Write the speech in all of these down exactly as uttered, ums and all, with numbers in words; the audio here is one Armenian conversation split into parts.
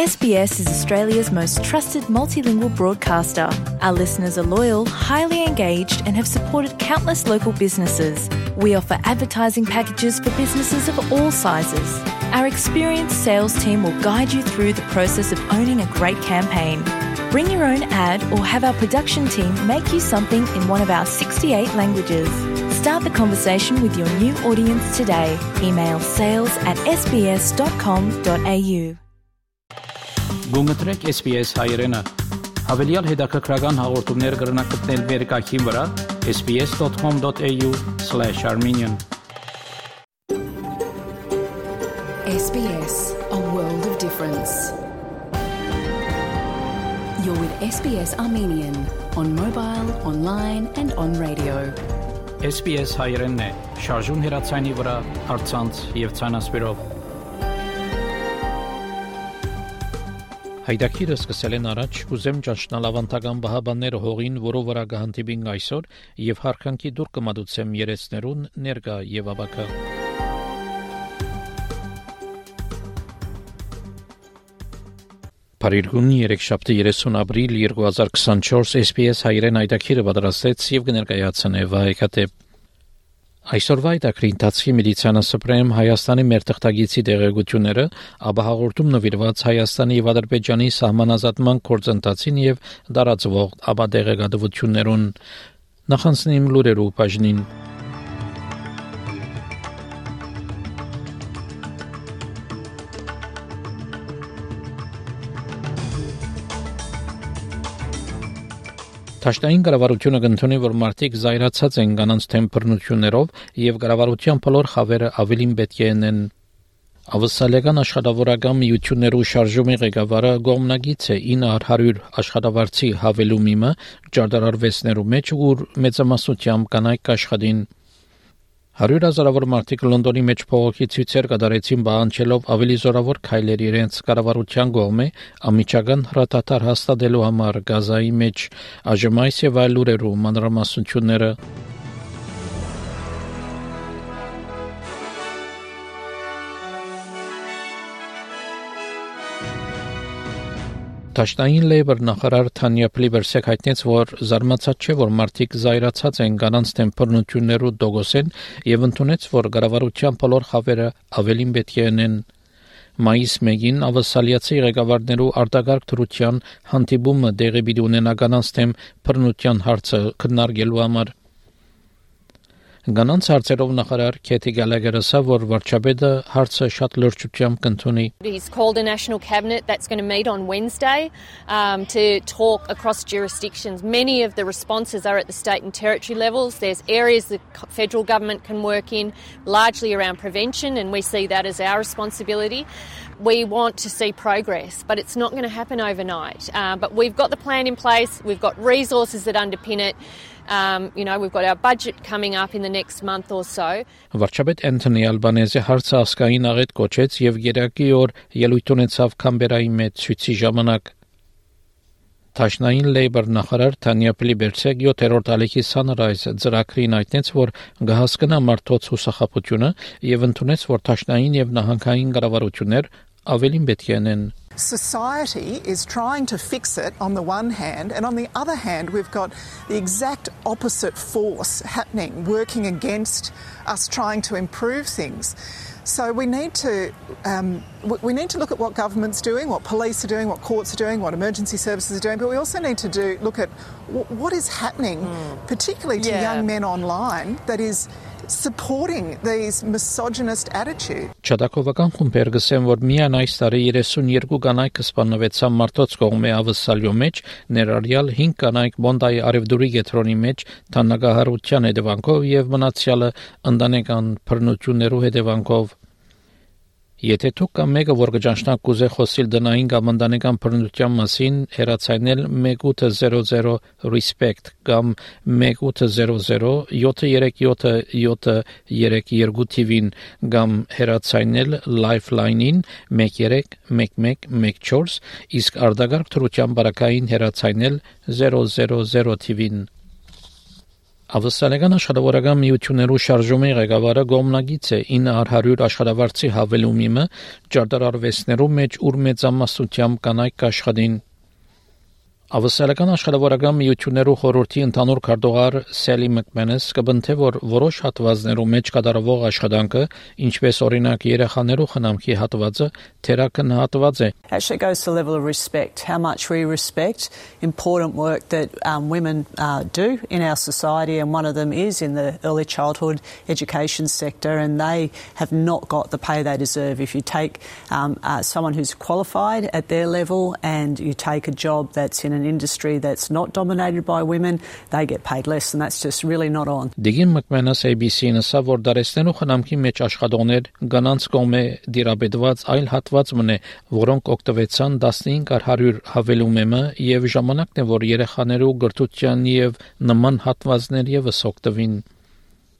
S B S is Australia's most trusted multilingual broadcaster. Our listeners are loyal, highly engaged, and have supported countless local businesses. We offer advertising packages for businesses of all sizes. Our experienced sales team will guide you through the process of owning a great campaign. Bring your own ad or have our production team make you something in one of our sixty-eight languages. Start the conversation with your new audience today. Email sales at s b s dot com dot a u. Գունգտրեք S B S հայերենը։ Հավելյալ հետաքրքրական հաղորդումներ կգրնակցնել վերկայքին վրա s b s dot com dot a u slash armenian. S B S, a world of difference. You're with S B S Armenian on mobile, online and on radio. S B S հայերենն է, շարժուն հեռացանի վրա, առցանց եւ ցանասպիրով։ Հայդակիրը սկսել են առաջ ուզեմ ճանչնալ ավանդական բահաբանները հողին, որով վրա կհանդիպին այսօր եւ հարկանքի դուր կմատուցեմ երեսներուն ներկա եւ աբակա։ Փարիգունի երեքշաբթի երեսուն ապրիլ երկու հազար քսանչորս S B S հայերեն հայդակիրը պատրաստեց եւ կներկայացնե վայեկատեպ։ Այսօրվա այդակրի ընթացքի միլիցիանը սպրեմ Հայաստանի մեր թղթագիտի տեղեկությունները, ապա հաղորդում նվիրված Հայաստանի եւ Ադրբեջանի սահմանազատման գործընթացին եւ դարածվող ապա տեղեկատվություններուն նախանցնիմ լուրերու բաժնին։ Թաշտային կառավարությունը կընդունի, որ մարդիկ զայրացած են կանանց թեմ բռնություններով եւ կառավարության բոլոր խավերը ավելին պետք է ունեն։ Ավսալեգան աշխատավորական միություններու շարժումի ղեկավարը գոմնագից է ինը հարյուր աշխատավարձի հավելումիմը ջարդարարվեցներու մեջ ուր մեծամասնությամբ կանայք աշխատին։ Հարյուր հազարավոր մարդիկ Լոնդոնի մեջ փողոքի ցույցեր կատարեցին բանջելով ավելի զորավոր քայլեր իրենց կառավարության կողմէ ամիջական հրատատար հաստատելու համար Գազայի մեջ այժմայս եւ այլ լուրերու մանրամասնությունները Թաշտային լեյբր նախարար Թանյա Պլիբերսեկ հայտնեց, որ զարմացած չէ, որ մարդիկ զայրացած են կանանց թեմ բռնություններու դոգոսեն եւ ընդունեց, որ կառավարության բոլոր խավերը ավելին պետք է ունեն։ Մայիս մեկին ավսալիացի ղեկավարներու արտագարկ դրության հանդիպումը դեղի պիտի ունենա կանանց թեմ բռնության հարցը քննարկելու համար։ Կանանց հարցերով նախարար Քեթի Գալագերը ասավ, որ վարչապետը հարցը շատ լրջությամբ կընդունի։ He's called a national cabinet that's going to meet on Wednesday um, to talk across jurisdictions. Many of the responses are at the state and territory levels. There's areas the federal government can work in, largely around prevention, and we see that as our responsibility. We want to see progress, but it's not going to happen overnight. Uh, but we've got the plan in place. We've got resources that underpin it. Um, you know, we've got our budget coming up in the next month or so. Վարչապետ Անթոնի Ալբանեզը հարցը ասկային աղետ կոչեց եւ երակի օր ելույթ ունեցավ Կամբերայի մեջ ցույցի ժամանակ։ Թաշնային լեյբր նախարար Թանյա Պլիբերսեկ յոթերորդ ալիքի Sunrise ծրագրին հայտնեց, որ կհասկանա մարդոց հուսախաբությունը եւ ընդունեց, որ թաշնային եւ նահանգային կառավարություններ ավելին պետք է ունեն։ Society is trying to fix it on the one hand, and on the other hand we've got the exact opposite force happening, working against us trying to improve things. So we need to um, we need to look at what government's doing, what police are doing, what courts are doing, what emergency services are doing, but we also need to do look at w- what is happening, mm. particularly to yeah. young men online, that is supporting these misogynist attitudes. Չադակովական խումբեր գսեն, որ միայն այս տարի երեսունյերկու կանայք սպանվեցան մարդոց կողմէ ավսալյո մեջ, ներառյալ հինգ կանայք Բոնդայի արևդուրի գետրոնի մեջ թանագահարության հետևանքով եւ մնացյալը ընտանեկան բռնություններու հետևանքով։ Եթե դուք կամ մեկը որ կճանչնակ կուզե խոսիլ դնային կամ ընտանեկան բռնության մասին, հեռացայնել one eight hundred respect կամ one eight hundred seven three seven seven three two T V-ին կամ հեռացայնել Lifeline-ին one three one one one four, իսկ արտագարկ թրության բարակային հեռացայնել zero zero zero T V-ին։ Ավսալական աշխատավորական միություններու շարժումի ղեկավարը գոմնագից է ինը հարյուր աշխատավարձի հավելումիմը ջարդարարվեսներու մեջ ուր մեծամասնությամբ կանայք աշխատին Ավսալական աշխատավորական միություններու խորհրդի ընդհանուր քարտուղար Սելի Մակմենես կբնթե որ որոշ հատվածներու մեջ կատարվող աշխատանքը ինչպես օրինակ երեխաներու խնամքի հատվածը թերակնահատված է Actually goes to the level of respect, how much we respect important work that um, women uh, do in our society, and one of them is in the early childhood education sector, and they have not got the pay they deserve. If you take um, uh, someone who's qualified at their level and you take a job that's in an industry that's not dominated by women, they get paid less, and that's just really not on. Դիգին Մակմենս A B C-ն ասա, որ դարեսներու խնամքի մեջ աշխատողներ գանանց կողմէ դիրաբետված այլ հատված մնե, որոնք օգտվեցան տասնհինգ հարյուր հավելումեմը եւ ժամանակն է, որ երեխաներու գրթության եւ նման հատվածներ եւս օգտվին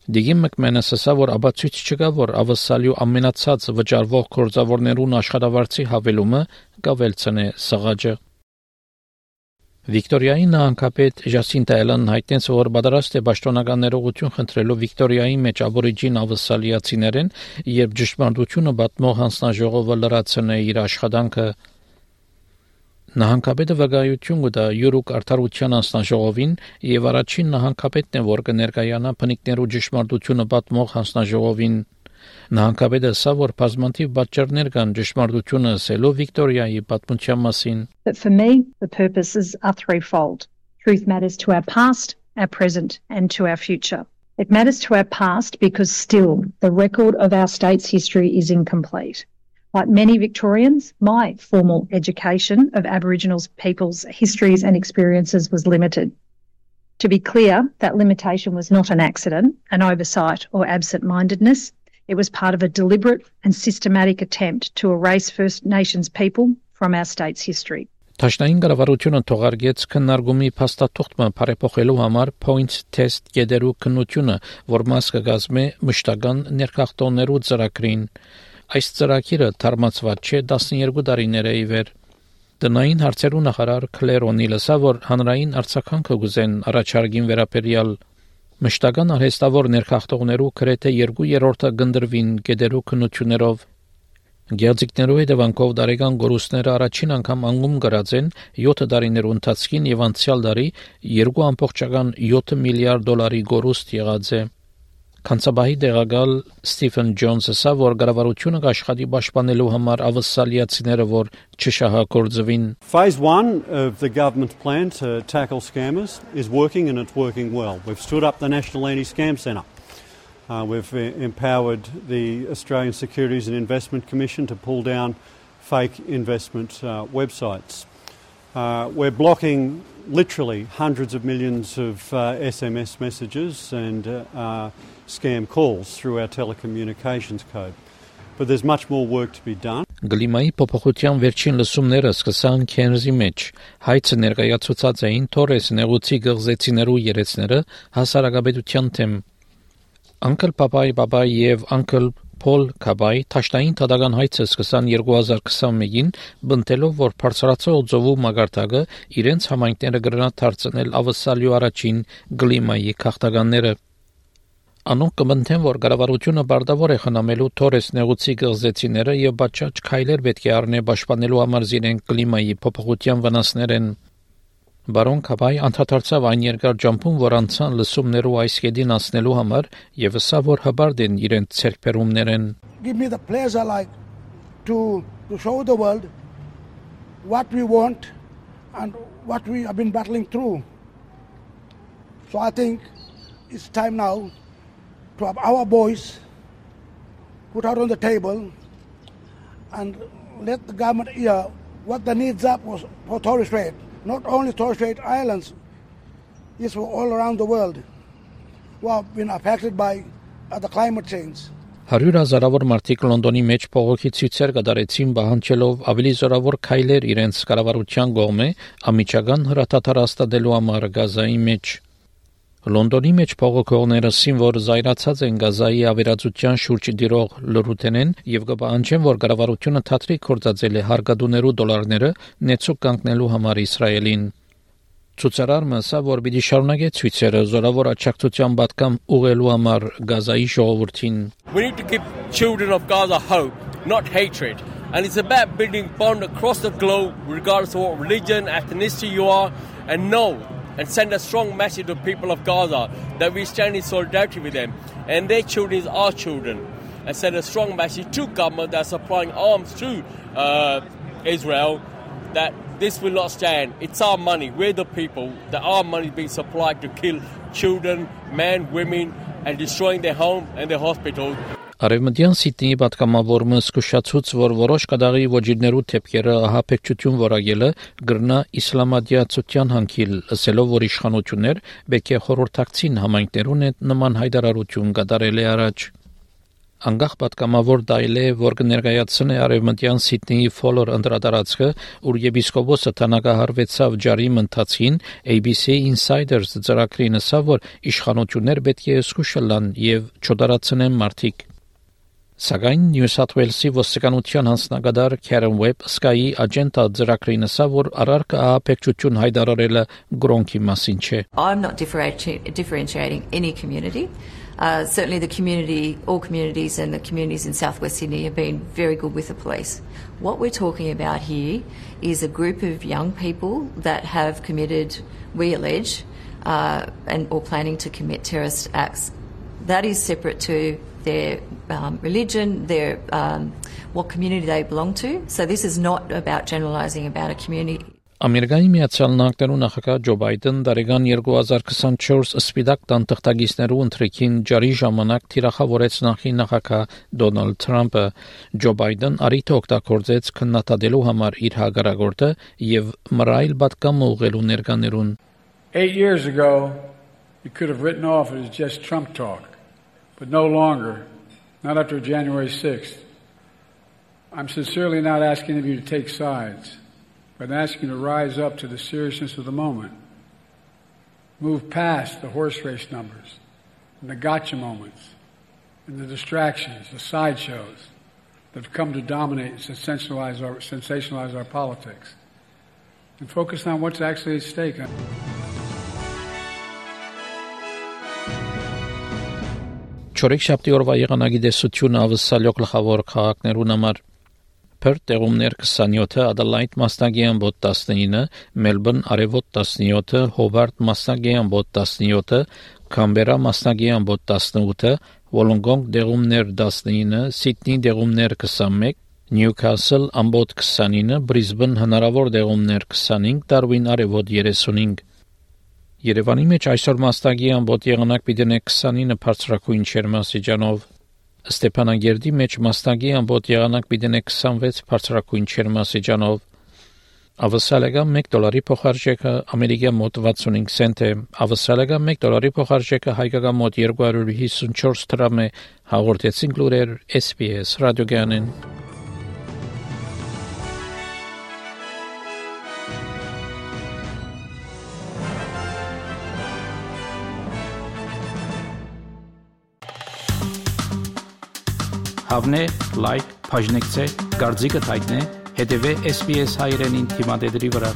Դիգին Մակմենս ասա, որ աբացույց չկա, որ ավսալյու ամենացած վճարվող գործավորներուն աշխատավարձի հավելումը կավելցնե սղաճը Վիկտորիայի նահանգապետ Ժասինտա Էլեն հայտնեց, որ պատրաստ է պաշտոնական ներողություն խնդրելու Վիկտորիայի մեջ աբորիջին ավսալիացիներեն, երբ ճշմարտությունը պատմող հանձնաժողովը լրացնե իր աշխատանքը Նահանգապետը վկայություն կտա յուրուկ արդարության հանձնաժողովին եւ առաջին նահանգապետն է, որ կներկայանա բնիկներու ճշմարտությունը պատմող հանձնաժողովին Նահանգապետը ասա, որ բազմաթիվ պատճառներ կան ճշմարտությունը ասելու Վիկտորիայի պատմության մասին But for me, the purposes are threefold. Truth matters to our past, our present, and to our future. It matters to our past because still the record of our state's history is incomplete. Like many Victorians, my formal education of Aboriginal people's histories and experiences was limited. To be clear, that limitation was not an accident, an oversight, or absent-mindedness. It was part of a deliberate and systematic attempt to erase First Nations people from our state's history. Տաշնային կառավարությունը թողարկեց քննարկումի փաստաթուղթը բարեփոխելու համար Points Test գեդերու քննությունը, որ մաս կգազմե մշտական ներքախտոններու ծրագրին։ Այս ծրագիրը թարմացված չէ տասնյոթ տարիներ է ի վեր։ Տնային հարցերու նախարար Քլեր Օնիլը ասա, որ հանրային արձագանքը գուզեն առաջարկին վերաբերյալ Մշտական արհեստավոր ներքախտողներու գրեթե երկու երրորդը գնդրվին գեդերու քննություններով Գեղձիկներու հետևանքով դարեգան գորուստները առաջին անգամ անգում գրած են յոթ տարիներու ընթացքին եւ անցյալ տարի երկու ամբողջական յոթ միլիարդ դոլարի գորուստ եղած է Կանցաբահի դեղագալ Ստիվեն Ջոնսը ասա, որ կառավարությունը կաշխատի պաշտպանելու համար ավսալիացիները, որ չշահագործվին Phase one of the government plan to tackle scammers is working, and it's working well. We've stood up the National Anti-Scam Centre. Uh, we've uh, empowered the Australian Securities and Investment Commission to pull down fake investment uh, websites. Uh, we're blocking literally hundreds of millions of uh, S M S messages and uh, uh, scam calls through our telecommunications code. But there's much more work to be done. Գլիմայի փոփոխության վերջին լսումները սկսան Քենզի մեջ։ Հայցը ներկայացուցած էին Թորես նեղուցի գղզեցիներու երեցները հասարակապետության թեմ։ Uncle Papai Papai եւ Uncle Paul Kabai Տաշտային թադական հայցը սկսան երկու հազար քսանմեկին բնտելով, որ բարձրացող ծովու մագարտակը իրենց համայնքները կգրնա դարձնել ավսալյու առաջին գլիմայի քաղաքականները։ Անոնք կմնթեն, որ կառավարությունը բարտավոր է խնամելու Թորես նեղուցի գղզեցիները եւ բաճաճ քայլեր պետք է առնե պաշտպանելու համար զինեն կլիմայի փոփոխության վնասներեն։ Բարոն Քաբայ անդրադարձավ այն երկար ջամփում, որ անցան լսումներու այս կետին անցնելու համար եւ ասա, որ հբարդ են իրենց ցերկբերումներեն։ Give me the pleasure like to to show the world what we want and what we have been battling through. So I think it's time now to have our voice put out on the table and let the government hear what the needs are for Torres Strait. Not only Torres Strait Islands, it's for all around the world who have been affected by uh, the climate change. Հարյուր հազարավոր մարդիկ Լոնդոնի մեջ փողոքի ցույցեր կատարեցին պահանջելով ավելի զորավոր քայլեր իրենց կառավարության կողմէ ամիջական հրաթաթար հաստատելու համար Գազայի մեջ։ Լոնդոնի մեջ փողոքողները ասին, որ զայրացած են Գազայի ավերածության շուրջ դիրող լրութենեն եւ կպահանջեն, որ կառավարությունը թատրի կործածել է հարկադուներու դոլարները նեցուկ կանգնելու համար Իսրայելին։ Ցուցարարը ասա, որ պիտի շարունակի ցույցերը զորավոր աջակցության պատկամ ուղղելու համար Գազայի ժողովրդին. We need to give children of Gaza hope, not hatred. And it's about building bond across the globe, regardless of what religion, ethnicity you are, and know and send a strong message to the people of Gaza that we stand in solidarity with them. And their children is our children. And send a strong message to government that's supplying arms to uh, Israel that this will not stand. It's our money. We're the people. That our money is being supplied to kill children, men, women, and destroying their home and their hospitals. Արևմտյան Սիդնեի պատգամավորը զսկուշացուց, որ որոշ կդաղի ոչիրներու թեփքերը ահապեկչություն որակելը գրնա իսլամադիացության հանգիլ, ասելով, որ իշխանություններ պետք է խորհրդակցին համայնքներուն հետ նման հայտարարություն կատարել է առաջ. Անգախ պատգամավոր դայլե, որ կներկայացնե արևմտյան Սիդնեի ֆոլոր անդրադարձը, ուր եպիսկոպոսը տնակահարվեցավ ջարի ընթացին, A B C Insiders ծրագրին ասավ, որ իշխանություններ պետք է զսկուշալան եւ չդարացնեն մարդիկ. Սակայն Նյու Սաթ Ուելսի ոստիկանության հանձնագետար Քերեն Ուեբ Sky-ի աջենտա ծրագրին ասավ, որ առարկա ահապեկչություն հայտարարելը գրոնքի մասին չէ. I'm not differentiating any community. Uh, certainly the community, all communities and the communities in southwest Sydney have been very good with the police. What we're talking about here is a group of young people that have committed, we allege, uh, and or planning to commit terrorist acts. That is separate to their um, religion, their um, what community they belong to. So this is not about generalising about a community. Ամերիկայի Միացյալ Նահանգներու նախագահ Ջո Բայդեն դարեգան երկու հազար քսանչորս սպիտակ տան թղթակիցներու ընթրիքին ջարի ժամանակ թիրախավորեց նախի նախագահ Դոնալդ Թրամփը. Ջո Բայդեն արիթը օգտագործեց քննադատելու համար իր հագարագործը եւ մռայլ պատկամը ուղղելու ներկաներուն. Eight years ago, you could have written off it as just Trump talk, but no longer, not after January sixth. I'm sincerely not asking of you to take sides, but asking you to rise up to the seriousness of the moment. Move past the horse race numbers and the gotcha moments and the distractions, the sideshows that have come to dominate and sensationalize our, sensationalize our politics. And focus on what's actually at stake. Չորեքշաբթի օրվա եղանակի դեսությունը ավսալյո գլխավոր քաղաքներուն համար Perth տեղումներ քսանյոթը, Adelaide մասնագեան բոտ տասնինը, Melbourne արևոտ տասնյոթը, Hobart մասնագեան բոտ տասնյոթը, Canberra մասնագեան բոտ տասնութը, Wollongong տեղումներ տասնինը, Sydney տեղումներ քսանմեկ, Newcastle ամբոտ քսանինը, Brisbane հնարավոր տեղումներ քսանհինգ, Darwin արևոտ երեսունհինգ. Երևանի մեջ այսօր մասնագեան բոտ եղանակ պիտի քսանինը բարձրակույն չերմասիջանով Ստեփանագերդի մեջ մասնագի ամբոտ եղանակ պիտի քսանվեց բարձրակույն չերմասիջանով Ավսալեգան մեկ դոլարի փոխարժեքը ամերիկյան մոտ վաթսունհինգ سنت է Ավսալեգան մեկ դոլարի փոխարժեքը հայկական մոտ երկու հարյուր հիսունչորս դրամ է հաղորդեցին լուրեր S B S ռադիոգյանեն Հավնե, լայք, բաժնեկցե, դարձիկը թայտնե, հետևե S B S հայրենին թիմադեդրի վրա